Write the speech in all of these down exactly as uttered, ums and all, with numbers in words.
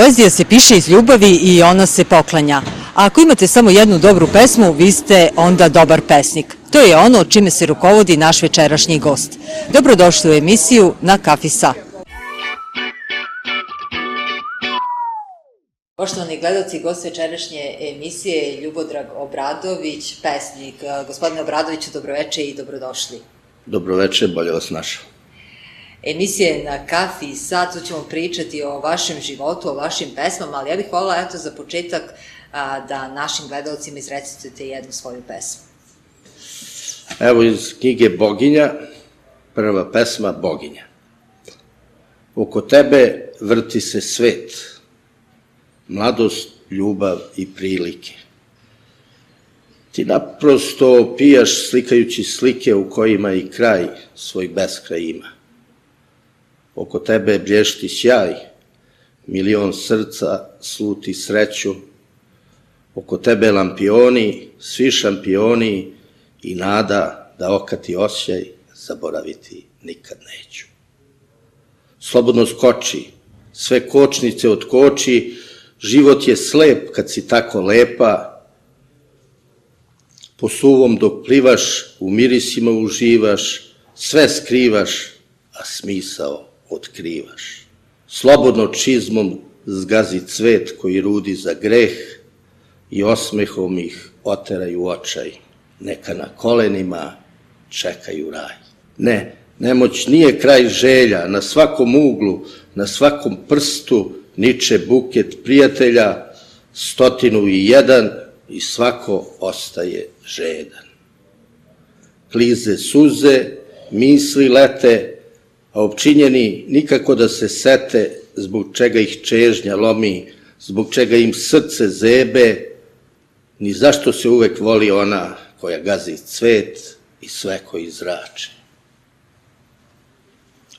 Poezija se piše iz ljubavi i ona se poklanja. A ako imate samo jednu dobru pesmu, vi ste onda dobar pesnik. To je ono čime se rukovodi naš večerašnji gost. Dobrodošli u emisiju Na kafi sa. Poštovani gledalci, gost večerašnje emisije je Ljubodrag Obradović, pesnik. Gospodine Obradoviću, dobroveče i dobrodošli. Dobroveče, bolje vas našao. Emisija je Na kafi i sad, tu ćemo pričati o vašem životu, o vašim pesmama, ali ja bih voljela, eto, za početak da našim gledalcima izrecitujete jednu svoju pesmu. Evo iz knjige Boginja, prva pesma Boginja. Oko tebe vrti se svet, mladost, ljubav i prilike. Ti naprosto pijaš slikajući slike u kojima i kraj svoj beskraj ima. Oko tebe blješti sjaj, milion srca sluti sreću. Oko tebe lampioni, svi šampioni i nada da okati osjaj zaboraviti nikad neću. Slobodno skoči, sve kočnice otkoči, život je slep kad si tako lepa. Po suvom dok plivaš, u mirisima uživaš, sve skrivaš, a smisao otkrivaš. Slobodno čizmom zgazi cvet koji rudi za greh i osmehom ih oteraju očaj. Neka na kolenima čekaju raj. Ne, nemoć nije kraj želja, na svakom uglu, na svakom prstu niče buket prijatelja, stotinu i jedan i svako ostaje žedan. Klize suze, misli lete, a opčinjeni nikako da se sete zbog čega ih čežnja lomi, zbog čega im srce zebe, ni zašto se uvek voli ona koja gazi cvet i sve koji zrače.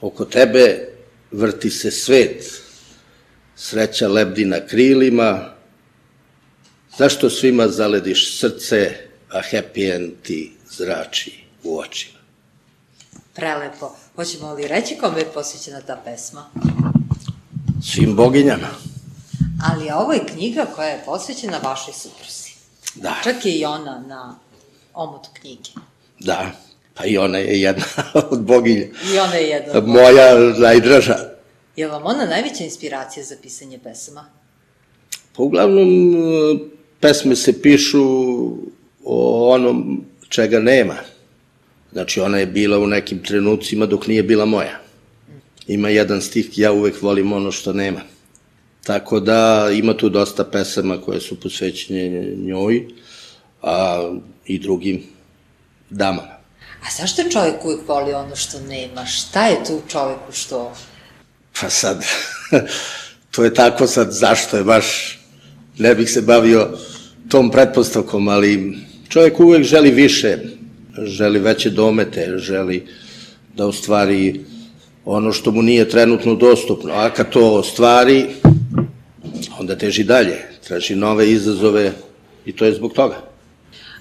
Oko tebe vrti se svet, sreća lebdi na krilima, zašto svima zalediš srce, a happy end ti zrači u očima. Prelepo. Hoćemo li reći kome je posvećena ta pesma? Svim boginjama. Ali ovo je knjiga koja je posvećena vašoj supruzi. Da. Čak je i ona na omotu knjige. Da, pa i ona je jedna od boginja. I ona je jedna od boginja. Moja najdraža. Je li vam ona najveća inspiracija za pisanje pesama? Pa uglavnom, pesme se pišu o onom čega nema. Znači, ona je bila u nekim trenucima dok nije bila moja. Ima jedan stih, ja uvek volim ono što nema. Tako da ima tu dosta pesama koje su posvećene njoj, a i drugim damama. A zašto čovjek uvek voli ono što nema? Šta je tu u čoveku što... Pa sad, to je tako sad, zašto je baš, ne bih se bavio tom pretpostavkom, ali čovjek uvek želi više, želi veće domete, želi da ostvari ono što mu nije trenutno dostupno, a kad to ostvari, onda teži dalje, traži nove izazove i to je zbog toga.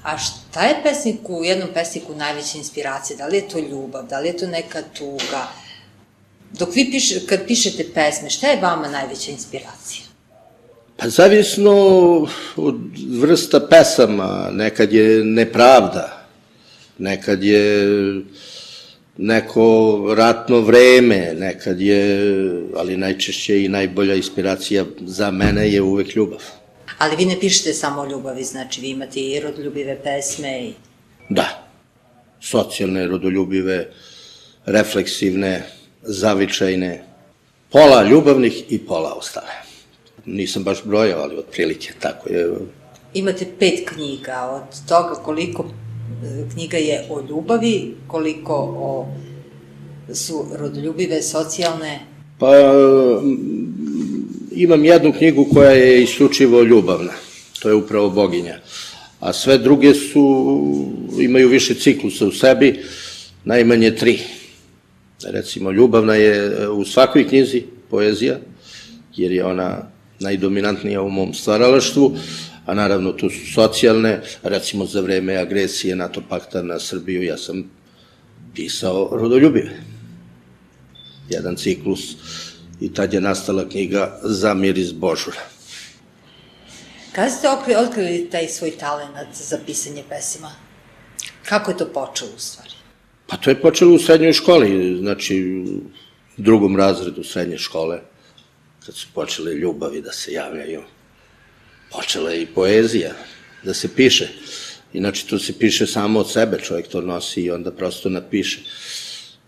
A šta je pesniku, u jednom pesniku najveća inspiracija? Da li je to ljubav, da li je to neka tuga? Dok vi pišete, kad pišete pesme, šta je vama najveća inspiracija? Pa zavisno od vrsta pesama, nekad je nepravda, nekad je neko ratno vreme, nekad je, ali najčešće i najbolja inspiracija za mene je uvek ljubav. Ali vi ne pišete samo o ljubavi, znači vi imate i rodoljubive pesme i... Da, socijalne, rodoljubive, refleksivne, zavičajne, pola ljubavnih i pola ostale. Nisam baš brojao, ali otprilike tako je. Imate pet knjiga, od toga koliko knjiga je o ljubavi, koliko o, su rodoljubive, socijalne? Pa imam jednu knjigu koja je isključivo ljubavna, to je upravo Boginja, a sve druge su, imaju više ciklusa u sebi, najmanje tri. Recimo, ljubavna je u svakoj knjizi poezija, jer je ona najdominantnija u mom stvaralaštvu, a naravno tu su socijalne, recimo za vreme agresije NATO pakta na Srbiju ja sam pisao rodoljubive. Jedan ciklus i tad je nastala knjiga Za miris Božura. Kada ste otkrili taj svoj talenat za pisanje pesima? Kako je to počelo u stvari? Pa to je počelo u srednjoj školi, znači u drugom razredu srednje škole, kad su počele ljubavi da se javljaju. Počela je i poezija da se piše. Inače, to se piše samo od sebe, čovjek to nosi i onda prosto napiše.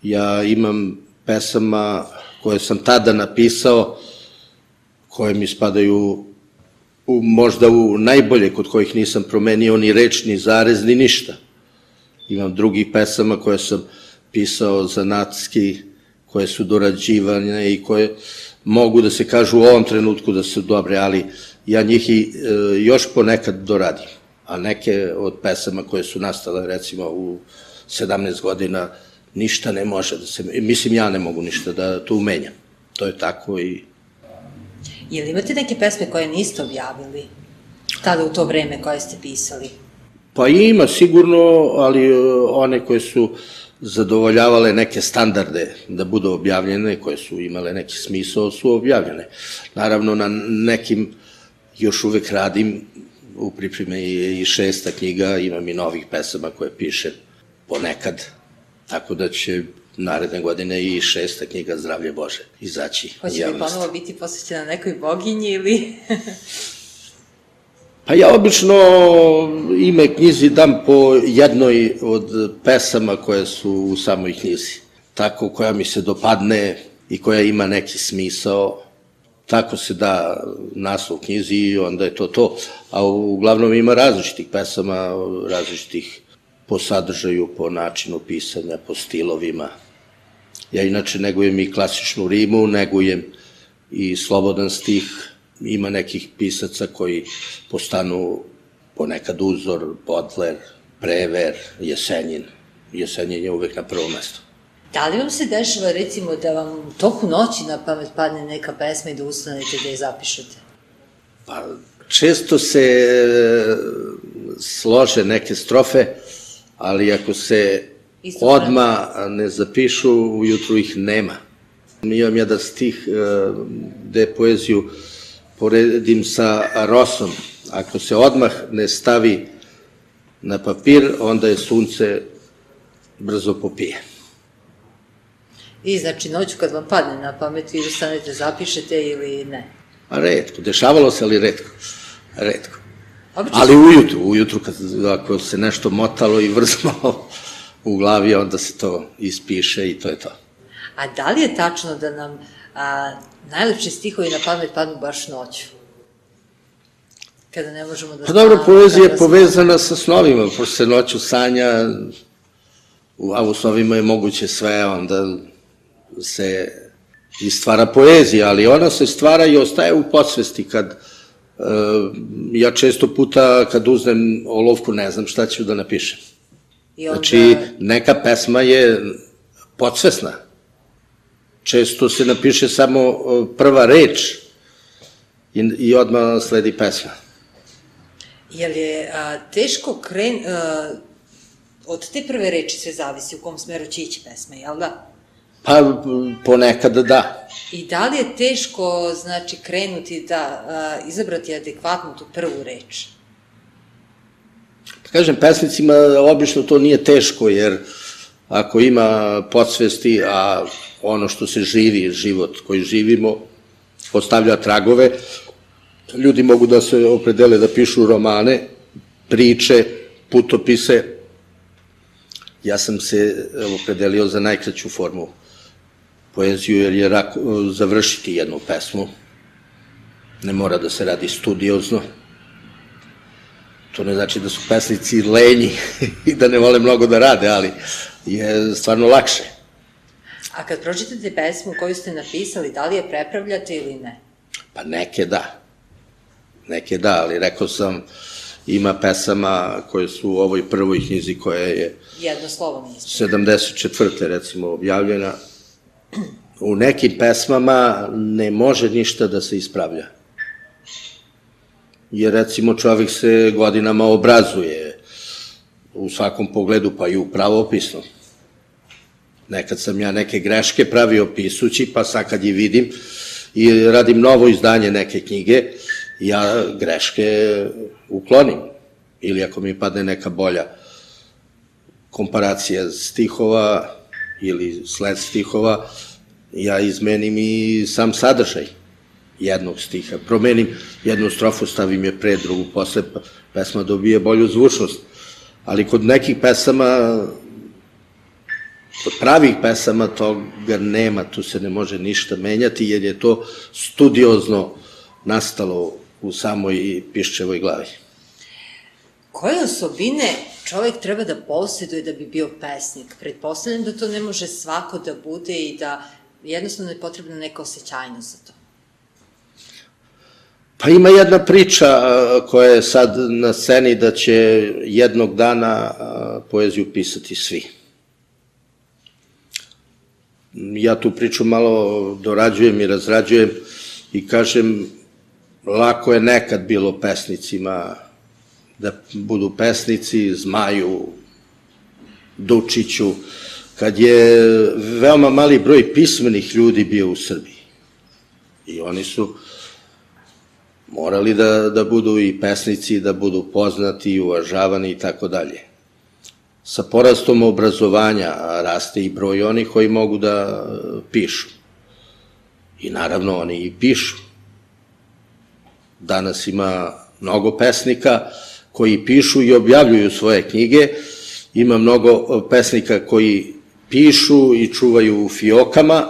Ja imam pesama koje sam tada napisao, koje mi spadaju u, možda u najbolje, kod kojih nisam promenio ni reč, ni zarez, ni ništa. Imam drugih pesama koje sam pisao zanatski, koje su dorađivane i koje mogu da se kažu u ovom trenutku da su dobre, ali ja njih i e, još ponekad doradim. A neke od pesama koje su nastale, recimo, u sedamnaest godina, ništa ne može da se... Mislim, ja ne mogu ništa da to umenjam. To je tako i... Jel imate neke pesme koje niste objavili tada u to vreme koje ste pisali? Pa ima sigurno, ali one koje su zadovoljavale neke standarde da budu objavljene, koje su imale neki smisao, su objavljene. Naravno, na nekim još uvek radim, u pripremi je i šesta knjiga, imam i novih pesama koje pišem ponekad, tako da će naredne godine i šesta knjiga Zdravlje Bože izaći u javnost. Hoće li ponovo biti posvećena nekoj boginji ili... Pa ja obično ime knjizi dam po jednoj od pesama koje su u samoj knjizi. Tako koja mi se dopadne i koja ima neki smisao, tako se da naslov knjizi i onda je to to. A uglavnom ima različitih pesama, različitih po sadržaju, po načinu pisanja, po stilovima. Ja inače negujem i klasičnu rimu, negujem i slobodan stih. Ima nekih pisaca koji postanu ponekad uzor, Bodler, Prever, Jesenjin. Jesenjin je uvek na prvom mestu. Da li vam se dešava, recimo, da vam u toku noći na pamet padne neka pesma i da ustanete da je zapišete? Pa, često se slože neke strofe, ali ako se odmah ne zapišu, ujutru ih nema. Imam jedan stih gde poeziju poredim sa rosom. Ako se odmah ne stavi na papir, onda je sunce brzo popije. I znači noću kad vam padne na pamet, vi ustanete, zapišete ili ne? A retko, dešavalo se, ali retko. Retko. Ali ujutru, ujutru kad ako se nešto motalo i vrzmalo u glavi, onda se to ispiše i to je to. A da li je tačno da nam a, najlepši stihovi na pamet padnu baš noću? Kada ne možemo da... Pa dobro, poezija je povezana sa snovima, pošto se noću sanja, a u snovima je moguće sve, onda se i stvara poezija, ali ona se stvara i ostaje u podsvesti kad... Ja često puta kad uzmem olovku ne znam šta ću da napišem. Znači, neka pesma je podsvesna. Često se napiše samo prva reč i odmah sledi pesma. Je li je teško kren... Od te prve reči sve zavisi u kom smeru će ići pesma, jel da? Pa, ponekad da. I da li je teško, znači, krenuti da izabrati adekvatnu tu prvu reč? Kažem, pesnicima obično to nije teško, jer ako ima podsvesti, a ono što se živi, život koji živimo, ostavlja tragove, ljudi mogu da se opredele da pišu romane, priče, putopise. Ja sam se opredelio za najkraću formu poeziju, jer je završiti jednu pesmu. Ne mora da se radi studiozno. To ne znači da su pesnici lenji i da ne vole mnogo da rade, ali je stvarno lakše. A kad pročitate pesmu koju ste napisali, da li je prepravljate ili ne? Pa neke da. Neke da, ali rekao sam, ima pesama koje su u ovoj prvoj knjizi koja je jedno slovo nismo. sedamdeset četvrte recimo objavljena. U nekim pesmama ne može ništa da se ispravlja. Jer recimo čovjek se godinama obrazuje u svakom pogledu, pa i u pravopisnom. Nekad sam ja neke greške pravio pisući, pa sad kad je vidim i radim novo izdanje neke knjige, ja greške uklonim. Ili ako mi padne neka bolja komparacija stihova ili sled stihova, ja izmenim i sam sadržaj jednog stiha. Promenim jednu strofu, stavim je pre, drugu posle, pesma dobije bolju zvučnost. Ali kod nekih pesama, kod pravih pesama toga nema, tu se ne može ništa menjati, jer je to studiozno nastalo u samoj Piščevoj glavi. Koje osobine čovjek treba da posjeduje da bi bio pesnik? Pretpostavljam da to ne može svako da bude i da jednostavno je potrebna neka osjećajnost za to. Pa ima jedna priča koja je sad na sceni da će jednog dana poeziju pisati svi. Ja tu priču malo dorađujem i razrađujem i kažem, lako je nekad bilo pesnicima da budu pesnici, Zmaju, Dučiću, kad je veoma mali broj pismenih ljudi bio u Srbiji. I oni su morali da, da budu i pesnici, da budu poznati i uvažavani i tako dalje. Sa porastom obrazovanja raste i broj onih koji mogu da pišu. I naravno oni i pišu. Danas ima mnogo pesnika koji pišu i objavljuju svoje knjige, ima mnogo pesnika koji pišu i čuvaju u fiokama,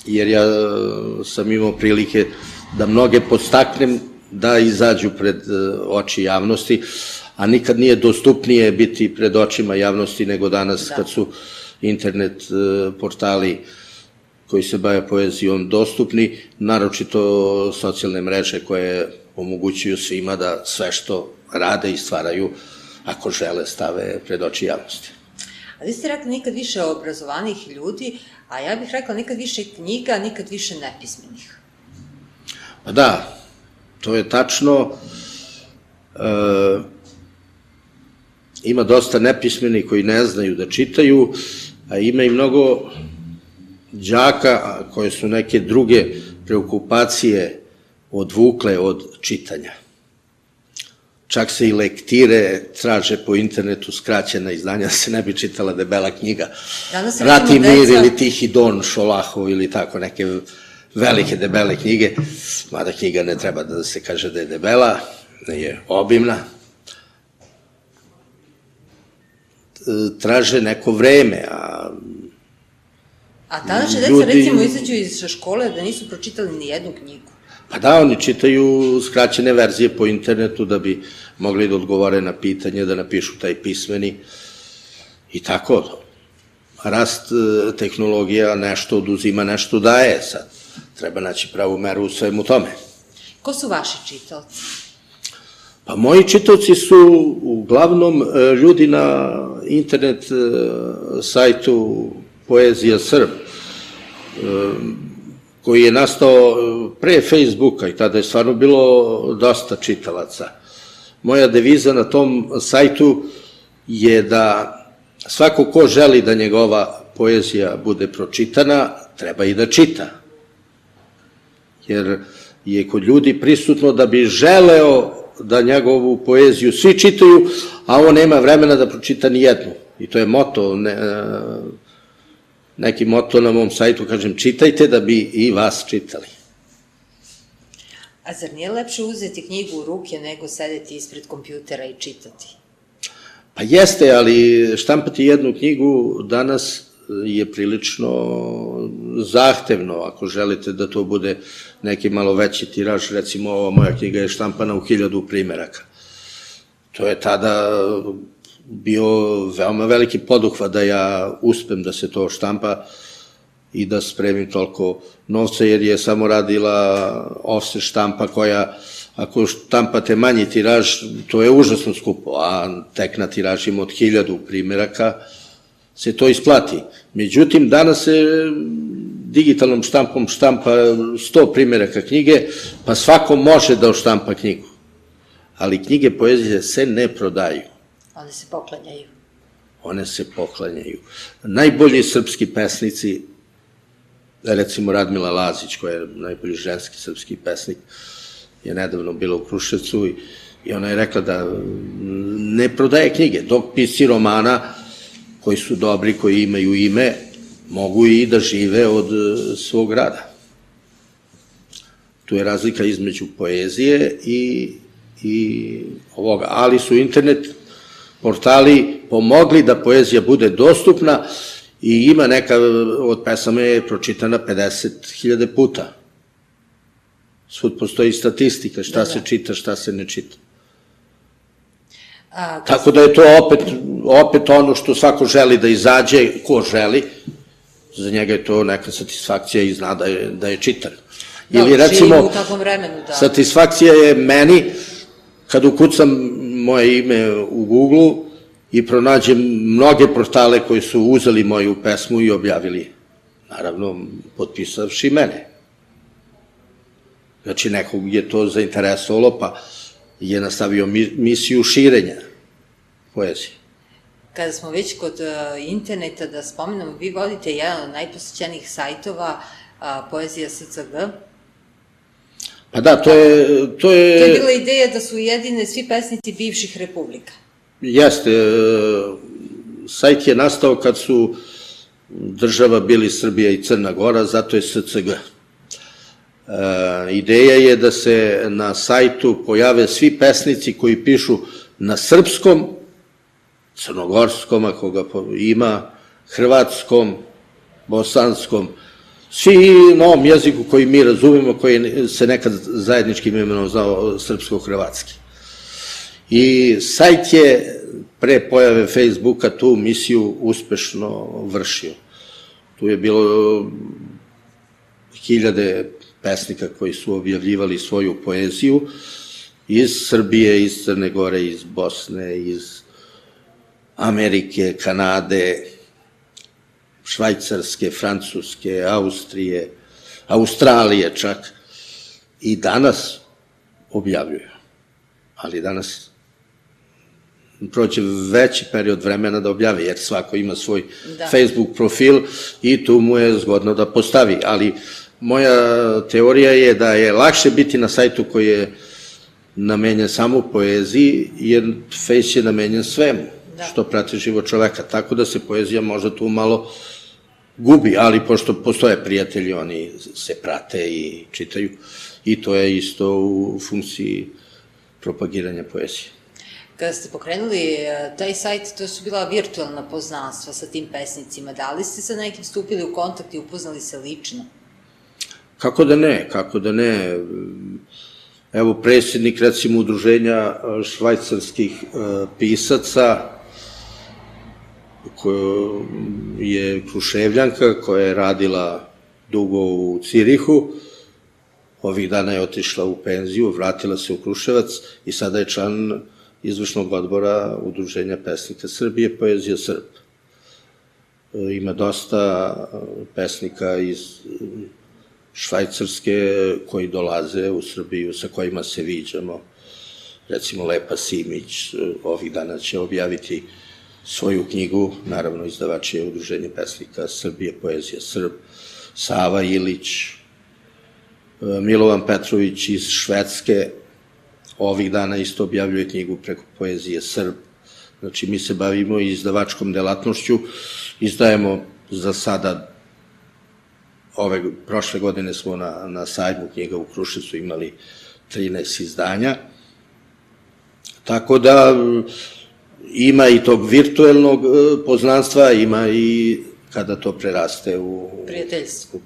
jer ja sam imao prilike da mnoge podstaknem da izađu pred oči javnosti, a nikad nije dostupnije biti pred očima javnosti nego danas kad su internet portali koji se bave poezijom dostupni, naročito socijalne mreže koje omogućuju svima da sve što rade i stvaraju, ako žele, stave pred oči javnosti. A vi ste rekli nikad više obrazovanih ljudi, a ja bih rekla nikad više knjiga, nikad više nepismenih. Pa da, to je tačno. Ima dosta nepismenih koji ne znaju da čitaju, a ima i mnogo đaka koje su neke druge preokupacije odvukle od čitanja. Čak se i lektire traže po internetu, skraćena izdanja, da se ne bi čitala debela knjiga. Rat i mir ili Tihi Don Šolahov ili tako neke velike debele knjige, mada knjiga ne treba da se kaže da je debela, je obimna. Traže neko vreme, a A današnja deca recimo izađu iz škole da nisu pročitali ni jednu knjigu. Pa da, oni čitaju skraćene verzije po internetu da bi mogli da odgovore na pitanje, da napišu taj pismeni i tako. Rast tehnologija nešto oduzima, nešto daje sad. Treba naći pravu meru u svemu tome. Ko su vaši čitaoci? Pa moji čitaoci su uglavnom ljudi na internet sajtu Poezija Srb, koji je nastao pre Facebooka i tada je stvarno bilo dosta čitalaca. Moja deviza na tom sajtu je da svako ko želi da njegova poezija bude pročitana, treba i da čita. Jer je kod ljudi prisutno da bi želeo da njegovu poeziju svi čitaju, a on nema vremena da pročita ni jednu. I to je moto, neki moto na mom sajtu, kažem, čitajte da bi i vas čitali. A zar nije lepše uzeti knjigu u ruke nego sedeti ispred kompjutera i čitati? Pa jeste, ali štampati jednu knjigu danas je prilično zahtevno, ako želite da to bude neki malo veći tiraž. Recimo, ova moja knjiga je štampana u hiljadu primeraka. To je tada bio veoma veliki poduhvat da ja uspem da se to štampa i da spremim toliko novca, jer je samo radila offset štampa koja, ako štampate manji tiraž, to je užasno skupo, a tek na tiražima od hiljadu primeraka se to isplati. Međutim, danas se digitalnom štampom štampa sto primeraka knjige, pa svako može da oštampa knjigu. Ali knjige poezije se ne prodaju. One se poklanjaju. one se poklanjaju. Najbolji srpski pesnici, recimo Radmila Lazić, koja je najbolji ženski srpski pesnik, je nedavno bila u Kruševcu i ona je rekla da ne prodaje knjige, dok pisci romana koji su dobri, koji imaju ime, mogu i da žive od svog rada. Tu je razlika između poezije i, i ovoga, ali su internet portali pomogli da poezija bude dostupna i ima neka od pesama je pročitana pedeset hiljada puta. Svud postoji statistika, šta se čita, šta se ne čita. Tako da je to opet ono što svako želi da izađe, ko želi, za njega je to neka satisfakcija i zna da je čitan. Ili recimo, satisfakcija je meni kad ukucam moje ime u Google i pronađem mnoge portale koji su uzeli moju pesmu i objavili, naravno potpisavši mene. Znači nekog je to zainteresovalo pa je nastavio misiju širenja poezije. Kada smo već kod interneta, da spomenemo, vi vodite jedan od najposećenijih sajtova, Poezija S C G. Pa da, to je... To je bila ideja da su ujedine svi pesnici bivših republika. Jeste. Sajt je nastao kad su država bili Srbija i Crna Gora, zato je S C G. Ideja je da se na sajtu pojave svi pesnici koji pišu na srpskom, crnogorskom, ako ga ima, hrvatskom, bosanskom, svi na ovom jeziku koji mi razumemo, koji se nekad zajedničkim imenom znao srpsko-hrvatski. I sajt je pre pojave Facebooka tu misiju uspešno vršio. Tu je bilo hiljade pesnika koji su objavljivali svoju poeziju iz Srbije, iz Crne Gore, iz Bosne, iz Amerike, Kanade, Švajcarske, Francuske, Austrije, Australije čak. I danas objavljuju. Ali danas prođe veći period vremena da objavi, jer svako ima svoj Facebook profil i tu mu je zgodno da postavi. Ali moja teorija je da je lakše biti na sajtu koji je namenjen samo poeziji, jer Face je namenjen svemu što prati život čoveka. Tako da se poezija možda tu malo gubi, ali pošto postoje prijatelji, oni se prate i čitaju i to je isto u funkciji propagiranja poezije. Kada ste pokrenuli taj sajt, to su bila virtualna poznanstva sa tim pesnicima. Da li ste sa nekim stupili u kontakt i upoznali se lično? Kako da ne, kako da ne. Evo, predsjednik, recimo, udruženja švajcarskih pisaca, koja je Kruševljanka, koja je radila dugo u Cirihu, ovih dana je otišla u penziju, vratila se u Kruševac i sada je član izvršnog odbora Udruženja pesnika Srbije, Poezija Srb. Ima dosta pesnika iz Švajcarske koji dolaze u Srbiju, sa kojima se viđamo. Recimo Lepa Simić ovih dana će objaviti svoju knjigu, naravno izdavač je Udruženje pesnika Srbije, Poezija Srb, Sava Ilić, Milovan Petrović iz Švedske, ovih dana isto objavljuje knjigu preko Poezije Srb. Znači, mi se bavimo izdavačkom delatnošću, izdajemo za sada, ove prošle godine smo na sajmu knjiga u Kruševcu imali trinaest izdanja, tako da ima i tog virtuelnog poznanstva, ima i kada to preraste u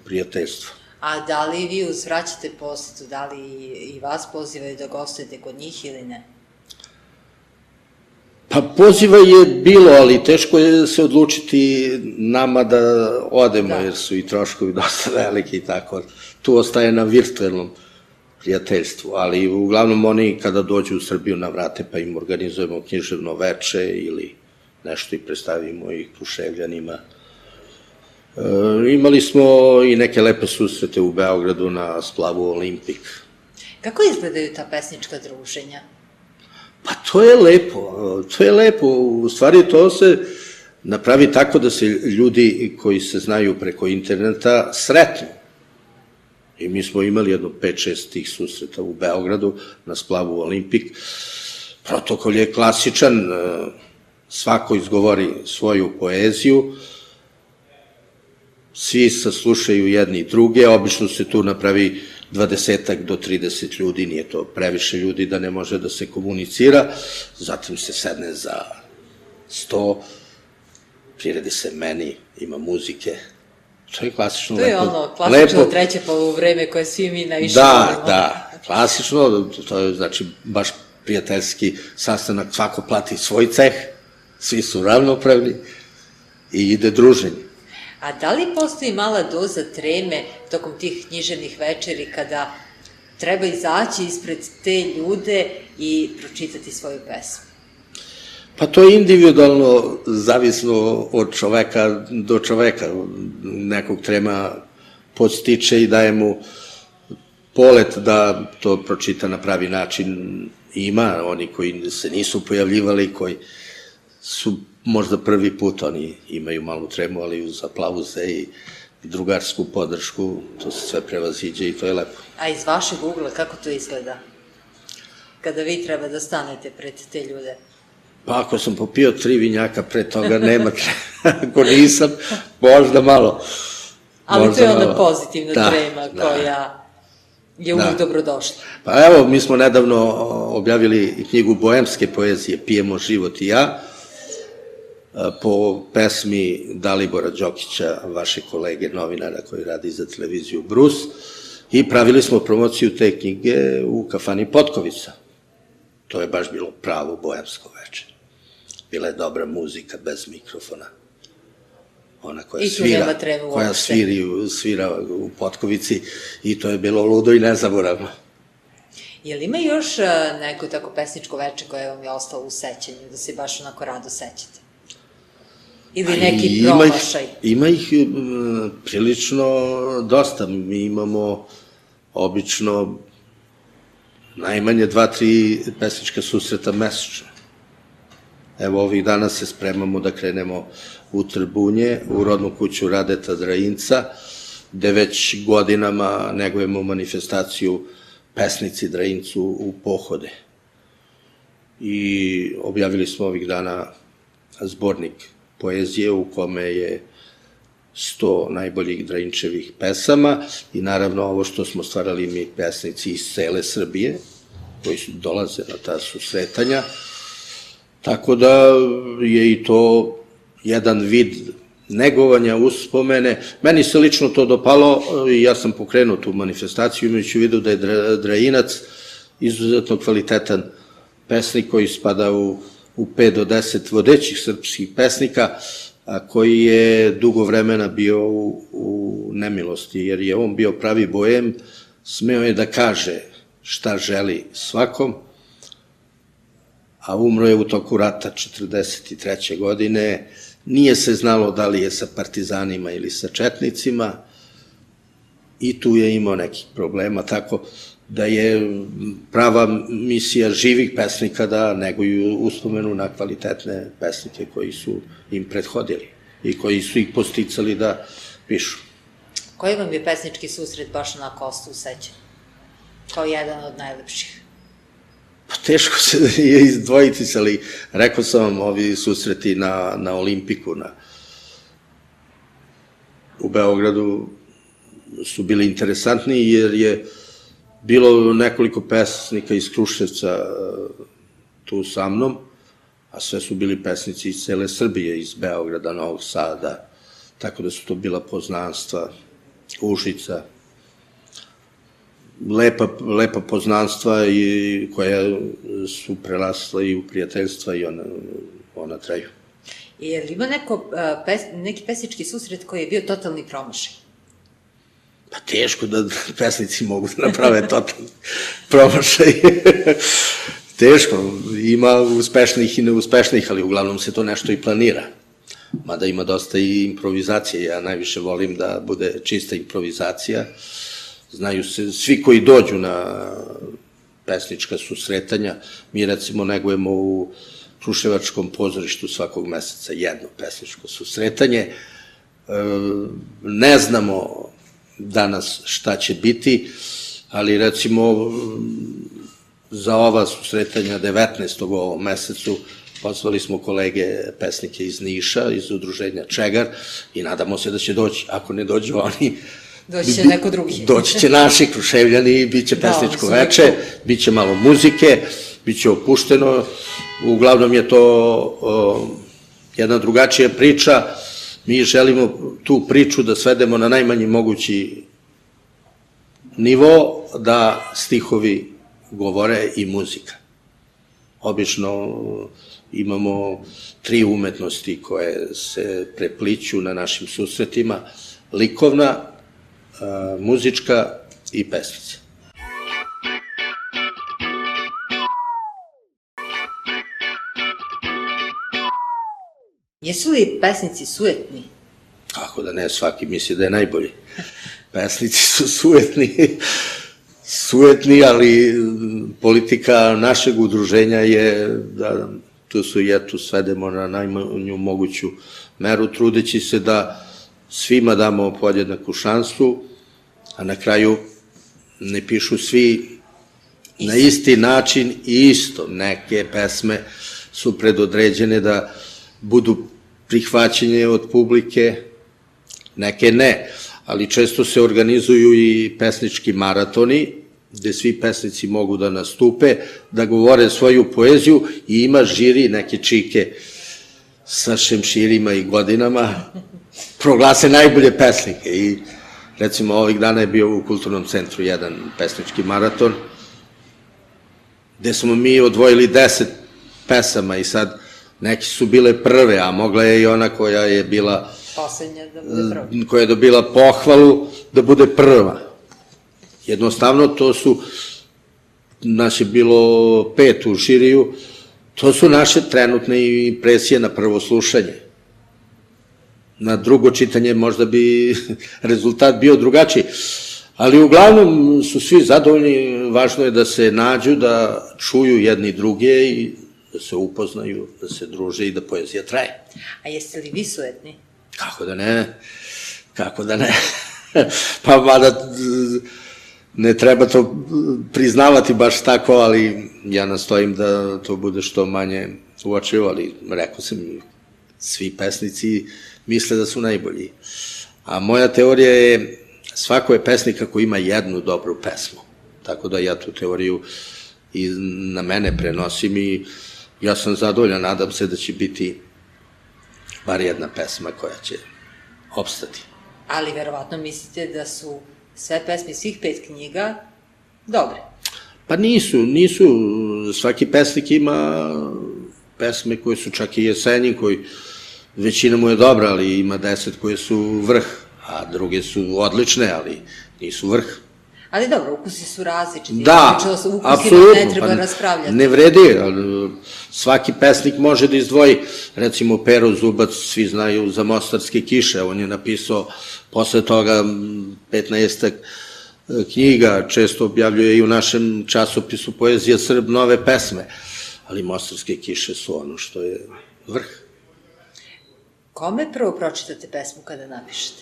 prijateljstvo. A da li vi uzvraćate posetu, da li i vas pozivaju da gostujete kod njih ili ne? Pa poziva je bilo, ali teško je se odlučiti nama da odemo, jer su i troškovi dosta veliki i tako. Tu ostaje na virtuelnom prijateljstvu, ali uglavnom oni kada dođu u Srbiju navrate pa im organizujemo književno veče ili nešto i predstavimo ih Kruševljanima. Imali smo i neke lepe susrete u Beogradu na splavu Olimpik. Kako izgledaju ta pesnička druženja? Pa to je lepo, to je lepo, u stvari to se napravi tako da se ljudi koji se znaju preko interneta sretnu. I mi smo imali jedno pet šest tih susreta u Beogradu na splavu Olimpik. Protokol je klasičan, svako izgovori svoju poeziju, svi saslušaju jedni i druge, obično se tu napravi dvadesetak do trideset ljudi, nije to previše ljudi da ne može da se komunicira, zatim se sedne za sto, priredi se meni, ima muzike. To je klasično lepo. To je ono, klasično treće poluvreme koje svi mi najviše volimo. Da, da, klasično, to je znači baš prijateljski sastanak, svako plati svoj ceh, svi su ravnopravni i ide druženje. A da li postoji mala doza treme tokom tih književnih večeri kada treba izaći ispred te ljude i pročitati svoju pesmu? Pa to je individualno, zavisno od čoveka do čoveka. Nekog trema podstiče i daje mu polet da to pročita na pravi način. Ima oni koji se nisu pojavljivali, koji su možda prvi put, oni imaju malu tremu, ali uz aplauze i drugarsku podršku, to se sve prevaziđe i to je lepo. A iz vašeg ugla, kako to izgleda? Kada vi treba da stanete pred te ljude? Pa ako sam popio tri vinjaka pre toga, nema trema. Ako nisam, možda malo. Ali to je onda pozitivna trema koja je uvijek dobrodošla. Pa evo, mi smo nedavno objavili knjigu boemske poezije Pijemo život i ja, po pesmi Dalibora Đokića, vaše kolege novinara koji radi za televiziju Brus, i pravili smo promociju te knjige u kafani Potkovica. To je baš bilo pravo boemsko večer. Bila je dobra muzika bez mikrofona. Ona koja svira, koja svira u Potkovici, i to je bilo ludo i nezaboravno. Je li ima još neko tako pesničko veče koje vam je ostalo u sećanju, da se baš onako rado sećate? Ili neki promašaj? Ima ih prilično dosta. Mi imamo obično najmanje dva, tri pesnička susreta mesečno. Evo, ovih dana se spremamo da krenemo u Trbunje, u rodnu kuću Radeta Drajinca, gde već godinama negujemo manifestaciju Pesnici Drajincu u pohode. I objavili smo ovih dana zbornik poezije u kome je sto najboljih Drajinčevih pesama i naravno ovo što smo stvarali mi pesnici iz cele Srbije, koji dolaze na ta susretanja. Tako da je i to jedan vid negovanja, uspomene. Meni se lično to dopalo i ja sam pokrenuo tu manifestaciju, imajući u vidu da je Drajinac izuzetno kvalitetan pesnik koji spada u pet do deset vodećih srpskih pesnika, a koji je dugo vremena bio u nemilosti, jer je on bio pravi boem, smeo je da kaže šta želi svakom, a umro je u toku rata četrdeset treće godine, nije se znalo da li je sa partizanima ili sa četnicima i tu je imao nekih problema, tako da je prava misija živih pesnika da neguju uspomenu na kvalitetne pesnike koji su im prethodili i koji su ih posticali da pišu. Koji vam je pesnički susret baš onako ostao u sećanju? Kao jedan od najlepših? Pa teško se je izdvojiti, ali rekao sam vam, ovi susreti na Olimpiku u Beogradu su bili interesantni, jer je bilo nekoliko pesnika iz Kruševca tu sa mnom, a sve su bili pesnici iz cele Srbije, iz Beograda, Novog Sada, tako da su to bila poznanstva, Užica, lepa poznanstva koja su prerasla i u prijateljstva i ona traju. Je li ima neki pesnički susret koji je bio totalni promašaj? Pa teško da pesnici mogu da naprave totalni promašaj. Teško, ima uspešnih i neuspešnih, ali uglavnom se to nešto i planira. Mada ima dosta i improvizacije, ja najviše volim da bude čista improvizacija. Znaju se, svi koji dođu na pesnička susretanja, mi recimo negujemo u Kruševačkom pozorištu svakog meseca jedno pesničko susretanje. Ne znamo danas šta će biti, ali recimo za ova susretanja devetnaestog u ovom mesecu pozvali smo kolege pesnike iz Niša, iz udruženja Čegar i nadamo se da će doći. Ako ne dođu oni, doći će neko drugi. Doći će naši Kruševljani, bit će pesničko veče, bit će malo muzike, bit će opušteno. Uglavnom je to jedna drugačija priča. Mi želimo tu priču da svedemo na najmanji mogući nivo, da stihovi govore i muzika. Obično imamo tri umetnosti koje se prepliću na našim susretima: likovna, muzička i pesnica. Jesu li pesnici sujetni? Kako da ne, svaki misli da je najbolji. Pesnici su sujetni, sujetni, ali politika našeg udruženja je da tu sujetu svedemo na najmanju moguću meru, trudeći se da svima damo podjednaku šansu, a na kraju ne pišu svi na isti način i isto. Neke pesme su predodređene da budu prihvaćene od publike, neke ne, ali često se organizuju i pesnički maratoni, gde svi pesnici mogu da nastupe, da govore svoju poeziju i ima žiri, neke čike sa šemširima i godinama, proglase najbolje pesnike. I recimo ovih dana je bio u Kulturnom centru jedan pesnički maraton, gde smo mi odvojili deset pesama i sad neki su bile prve, a mogla je i ona koja je bila poslednja da bude prva, koja je dobila pohvalu da bude prva. Jednostavno, to su, nas je bilo pet u žiriju, to su naše trenutne impresije na prvo slušanje. Na drugo čitanje možda bi rezultat bio drugačiji, ali uglavnom su svi zadovoljni, važno je da se nađu, da čuju jedni druge i da se upoznaju, da se druže i da poezija traje. A jeste li vi sujetni? Kako da ne, kako da ne. Pa mada ne treba to priznavati baš tako, ali ja nastojim da to bude što manje uočivo, ali rekao sam, svi pesnici misle da su najbolji. A moja teorija je, svako je pesnik ako ima jednu dobru pesmu. Tako da ja tu teoriju i na mene prenosim i ja sam zadovoljan, nadam se da će biti bar jedna pesma koja će opstati. Ali verovatno mislite da su sve pesme svih pet knjiga dobre? Pa nisu, nisu. Svaki pesnik ima pesme koje su čak i jesenji, koji većina mu je dobra, ali ima deset koje su vrh, a druge su odlične, ali nisu vrh. Ali dobro, ukusi su različiti. Da, apsolutno. Ne treba raspravljati. Ne vredi. Svaki pesnik može da izdvoji, recimo Pero Zubac, svi znaju za Mostarske kiše, on je napisao posle toga petnaestak knjiga, često objavljuje i u našem časopisu Poezija Srb nove pesme, ali Mostarske kiše su ono što je vrh. Kome prvo pročitate pesmu kada napišete?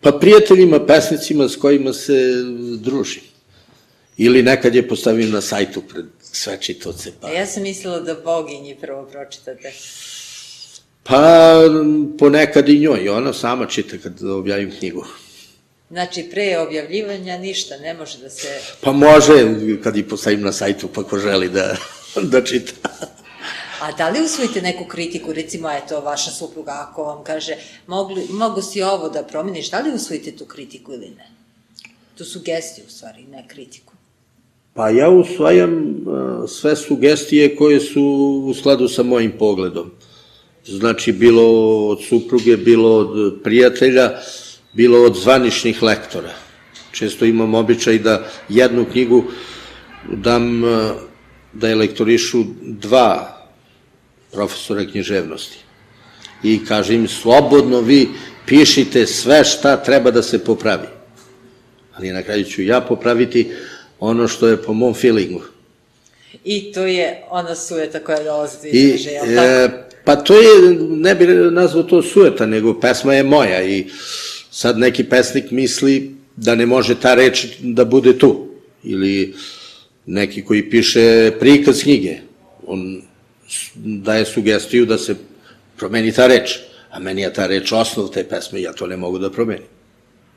Pa prijateljima, pesnicima s kojima se družim. Ili nekad je postavim na sajtu pred sve čitaoce. A ja sam mislila da Boginji prvo pročitate. Pa ponekad i njoj, ona sama čita kad objavim knjigu. Znači, pre objavljivanja ništa, ne može da se... Pa može, kad ih postavim na sajtu, pa ko želi da čita. A da li usvojite neku kritiku, recimo, eto, vaša supruga, ako vam kaže, mogu si ovo da promeniš, da li usvojite tu kritiku ili ne? Tu sugestiju, u stvari, ne kritiku. Pa ja usvajam sve sugestije koje su u skladu sa mojim pogledom. Znači, bilo od supruge, bilo od prijatelja, bilo od zvaničnih lektora. Često imam običaj da jednu knjigu dam da je lektorišu dva profesora književnosti. I kaže im, slobodno vi pišite sve šta treba da se popravi. Ali na kraju ću ja popraviti ono što je po mom feelingu. I to je ona sujeta koja dolazi do I, izražaja, jel tako? e, pa to je, ne bih nazvao to sujeta, nego pesma je moja i sad neki pesnik misli da ne može ta reč da bude tu. Ili neki koji piše prikaz knjige, on daje sugestiju da se promeni ta reč, a meni je ta reč osnov te pesme, ja to ne mogu da promenim.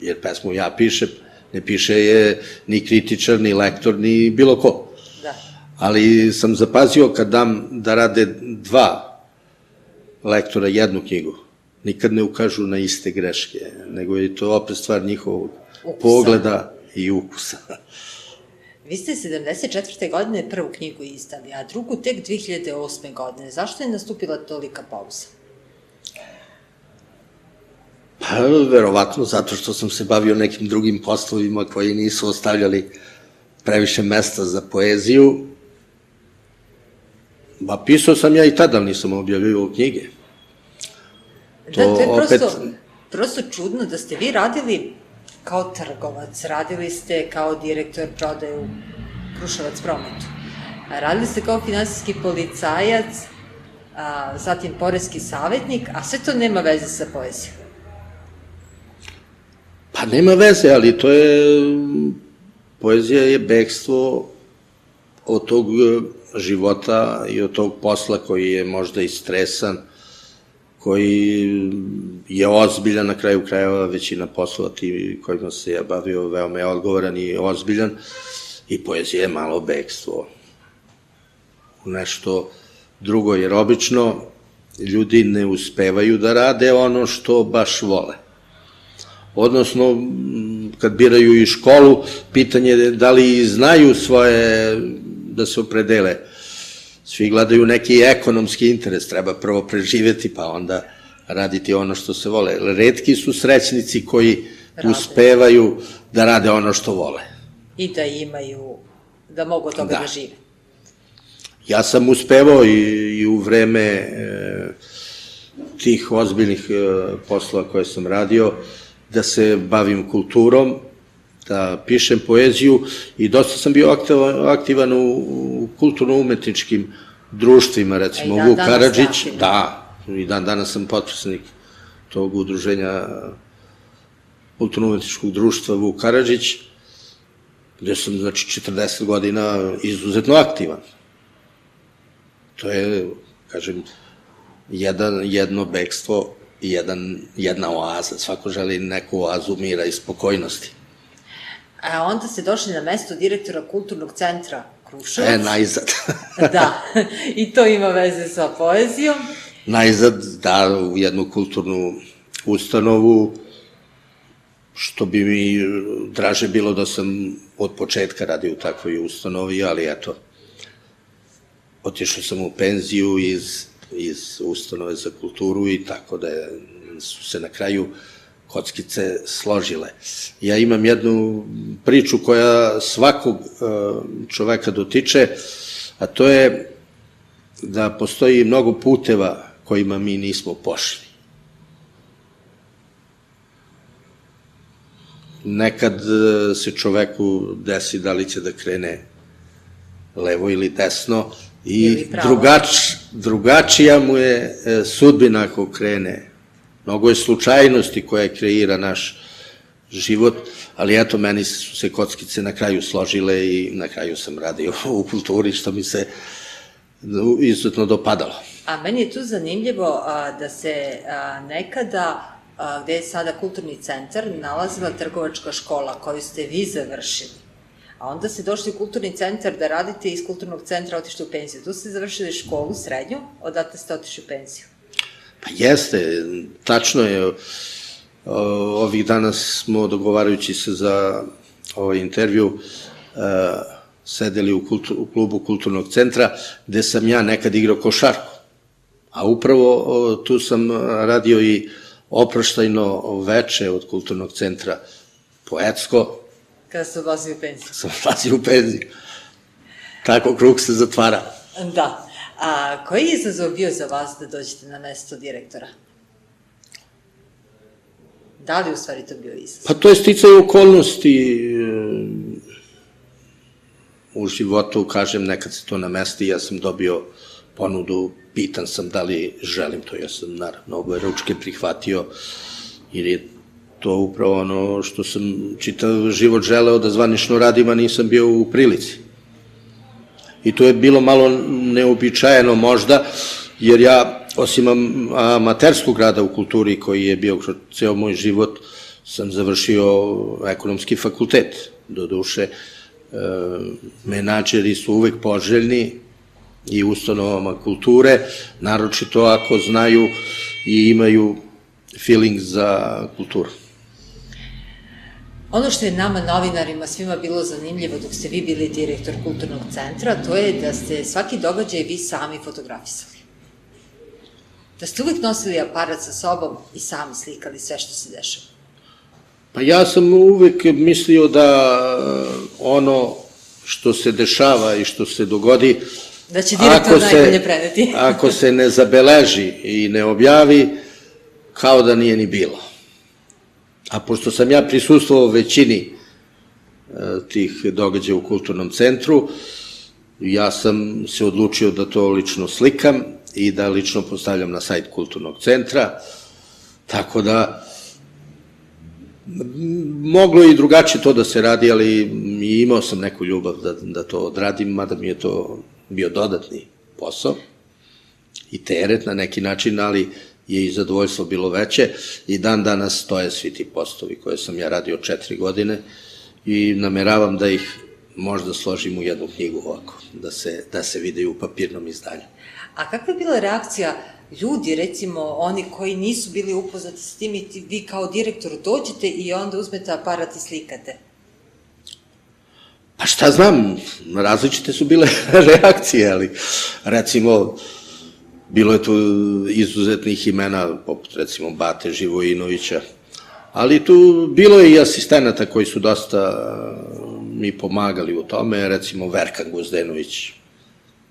Jer pesmu ja pišem, ne piše je ni kritičar, ni lektor, ni bilo ko. Da. Ali sam zapazio kad dam da rade dva lektora jednu knjigu, nikad ne ukažu na iste greške, nego je to opet stvar njihovog pogleda i ukusa. Vi ste sedamdeset četvrte godine prvu knjigu izdali, a drugu tek dve hiljade osme godine. Zašto je nastupila tolika pauza? Pa, verovatno, zato što sam se bavio nekim drugim poslovima koji nisu ostavljali previše mesta za poeziju. Ba, pisao sam ja i tada, ali nisam objavio knjige. Da, to je prosto, prosto čudno da ste vi radili kao trgovac, radili ste kao direktor prodaje u Kruševac prometu, radili ste kao finansijski policajac, a, zatim poreski savjetnik, a sve to nema veze sa poezijom. Pa nema veze, ali to je, poezija je bekstvo od tog života i od tog posla koji je možda i stresan, koji je ozbiljan, na kraju krajeva većina poslova ti kojima se ja bavio veoma je odgovoran i ozbiljan, i poezija je malo bekstvo u nešto drugo, jer obično ljudi ne uspevaju da rade ono što baš vole. Odnosno, kad biraju i školu, pitanje je da li znaju svoje, da se opredele. Svi gledaju neki ekonomski interes, treba prvo preživeti, pa onda raditi ono što se vole. Retki su srećnici koji uspevaju da rade ono što vole. I da imaju, da mogu od toga da žive. Ja sam uspevao i u vreme tih ozbiljnih poslova koje sam radio, da se bavim kulturom, da pišem poeziju i dosta sam bio aktivan u kulturno-umetničkim društvima, recimo Vuk Karadžić, da, i dan danas sam potpisnik tog udruženja kulturno-umetničkog društva Vuk Karadžić, gde sam, znači, četrdeset godina izuzetno aktivan. To je, kažem, jedno bekstvo i jedna oaza. Svako želi neku oazu mira i spokojnosti. A onda ste došli na mesto direktora kulturnog centra Kruševac. E, najzad. Da, i to ima veze sa poezijom. Najzad, da, u jednu kulturnu ustanovu, što bi mi draže bilo da sam od početka radio u takvoj ustanovi, ali eto, otišao sam u penziju iz ustanove za kulturu i tako da su se na kraju kockice složile. Ja imam jednu priču koja svakog čoveka dotiče, a to je da postoji mnogo puteva kojima mi nismo pošli. Nekad se čoveku desi da li će da krene levo ili desno i drugačija mu je sudbina ako krene. Mnogo je slučajnosti koja kreira naš život, ali eto, meni su se kockice na kraju složile i na kraju sam radio u kulturi, što mi se izuzetno dopadalo. A meni je tu zanimljivo da se nekada, gde je sada kulturni centar, nalazila trgovačka škola koju ste vi završili. A onda ste došli u kulturni centar da radite iz kulturnog centra, otišli u penziju. Tu ste završili školu, srednju, odatle ste otišli u penziju. Pa jeste, tačno je. Ovih dana smo, dogovarajući se za ovaj intervju, sedeli u klubu kulturnog centra, gde sam ja nekad igrao košarku. A upravo tu sam radio i oproštajno veče od kulturnog centra, poetsko. Kada ste odlazili u penziju. Sam odlazio u penziju. Tako krug se zatvara. Da. A koji je izazov bio za vas da dođete na mesto direktora? Da li u stvari to bio izazov? Pa to je sticaj okolnosti. u životu, kažem, nekad se to namesti, ja sam dobio ponudu, pitan sam da li želim to, ja sam naravno oboje ručke prihvatio, jer je to upravo ono što sam čitav život želeo da zvanično radim, a nisam bio u prilici. I to je bilo malo neobičajeno možda, jer ja, osim amaterskog rada u kulturi koji je bio kroz ceo moj život, sam završio ekonomski fakultet. Do duše, menadžeri su uvek poželjni i ustanovama kulture, naročito ako znaju i imaju feeling za kulturu. Ono što je nama, novinarima, svima bilo zanimljivo dok ste vi bili direktor Kulturnog centra, to je da ste svaki događaj vi sami fotografisali. Da ste uvek nosili aparat sa sobom i sami slikali sve što se dešava. Pa ja sam uvek mislio da ono što se dešava i što se dogodi, da će direktor najbolje preneti. Ako se ne zabeleži i ne objavi, kao da nije ni bilo. A pošto sam ja prisustvovao većini tih događaja u Kulturnom centru, ja sam se odlučio da to lično slikam i da lično postavljam na sajt Kulturnog centra, tako da moglo i drugačije to da se radi, ali imao sam neku ljubav da, da to odradim, mada mi je to bio dodatni posao i teret na neki način, ali je i zadovoljstvo bilo veće i dan danas stoje svi ti postovi koje sam ja radio četiri godine i nameravam da ih možda složim u jednu knjigu ovako, da se, da se vide u papirnom izdanju. A kakva je bila reakcija ljudi, recimo oni koji nisu bili upoznati s tim i vi kao direktor dođete i onda uzmete aparat i slikate? Pa šta znam, različite su bile reakcije, ali recimo bilo je tu izuzetnih imena, poput recimo Bate Živojinovića, ali tu bilo je i asistenata koji su dosta mi pomagali u tome, recimo Verkan Gozdenović,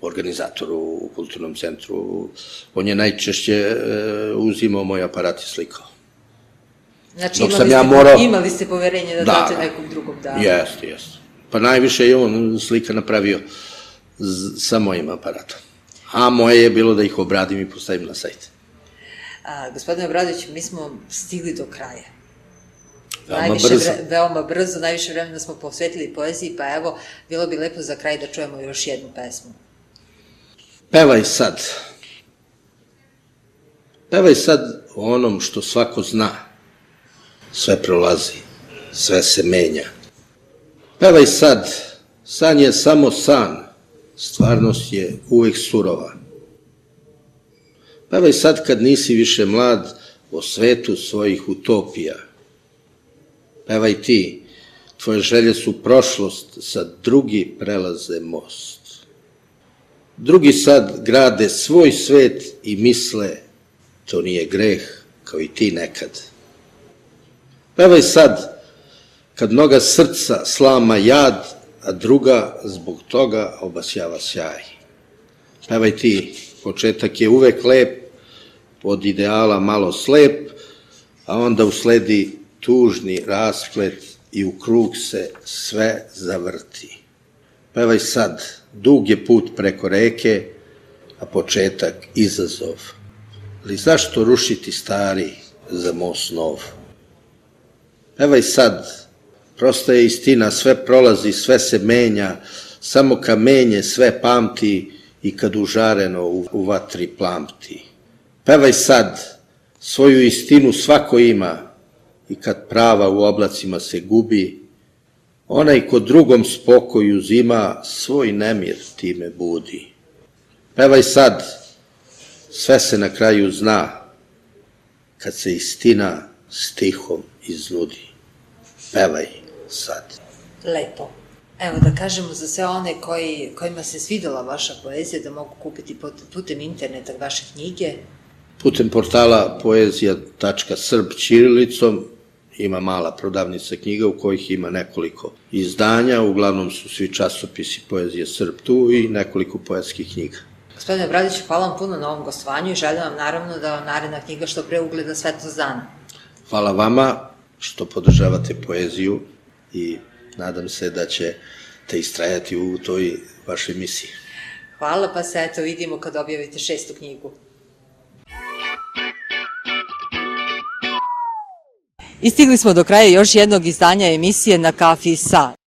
organizator u Kulturnom centru, on je najčešće uzimao moj aparat i slikao. Znači imali ste poverenje da date nekom drugom danu? Jeste, jeste. Pa najviše je on slika napravio sa mojim aparatom. A moje je bilo da ih obradim i postavim na sajt. Gospodine Obradović, mi smo stigli do kraja. Veoma brzo. Veoma brzo, najviše vremena smo posvetili poeziji, pa evo, bilo bi lepo za kraj da čujemo još jednu pesmu. Pevaj sad. Pevaj sad o onom što svako zna. Sve prolazi, sve se menja. Pevaj sad, san je samo san, stvarnost je uvek surova. Pevaj sad kad nisi više mlad o svetu svojih utopija. Pevaj ti, tvoje želje su prošlost, sad drugi prelaze most. Drugi sad grade svoj svet i misle, to nije greh, kao i ti nekad. Pevaj sad, kad mnoga srca slama jad, a druga zbog toga obasjava sjaj. Pevaj ti, početak je uvek lep, od ideala malo slep, a onda usledi tužni rasplet i u krug se sve zavrti. Pevaj sad, dug je put preko reke, a početak izazov. Ali zašto rušiti stari za most nov? Pevaj sad, prosta je istina, sve prolazi, sve se menja, samo kamenje sve pamti i kad užareno u vatri plamti. Pevaj sad, svoju istinu svako ima i kad prava u oblacima se gubi, onaj ko drugom spokoj uzima, svoj nemir time budi. Pevaj sad, sve se na kraju zna, kad se istina stihom iznudi. Pevaj sad. Lepo. Evo da kažemo za sve one kojima se svidela vaša poezija, da mogu kupiti putem interneta vaše knjige. Putem portala poezija tačka srb ćirilicom ima mala prodavnica knjiga u kojih ima nekoliko izdanja, uglavnom su svi časopisi poezije Srb tu i nekoliko poetskih knjiga. Gospodine Obradoviću, hvala vam puno na ovom gostovanju i želim vam naravno da vam naredna knjiga što pre ugleda svetlost dana. Hvala vama što podržavate poeziju i nadam se da će te istrajati u toj vašoj misiji. Hvala, pa se eto vidimo kad objavite šestu knjigu. I stigli smo do kraja još jednog izdanja emisije Na kafi sa.